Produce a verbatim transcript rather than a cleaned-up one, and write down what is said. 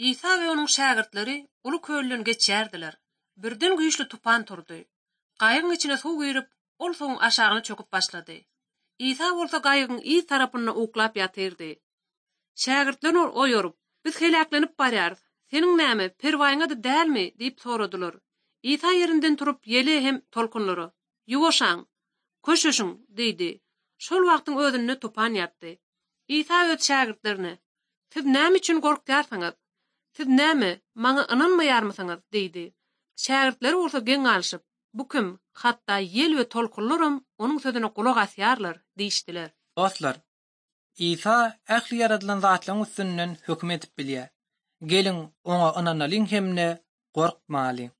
Isa we onuň şägirtleri uly kölden geçýärdiler. Birden güýçli tupan turdy. Gaýygyň içine suw girip, ol suwuň aşagyna çöküp başlady. Isa bolsa gaýygyň yz tarapynda uklap ýatyrdy. Şägirtler ony oýaryp, "Biz heläklenip barýarys. Seniň näme, perwaýyňa-da dälmi?" diýip soradylar. Isa ýerinden turup ýele hem tolkunlara, "Ýuwaşaň, köşeşiň" diýdi. Şol wagtyň özünde tupan ýatdy. Isa öz şägirtlerine, "Siz näme üçin gorkýarsyňyz? Siz näme, maňa ynanmaýarmysyňyz?" diýdi. Şägirtleri bolsa geň galyşyp, "Bu kim? Hatda ýel we tolkunlaram onuň sözüne gulak asýarlar" diýişdiler. Dostlar, Isa ähli ýaradylan zatlaryň üstünden höküm edip bilýär. Geliň, oňa ynanalyň hem-de gorkmalyň.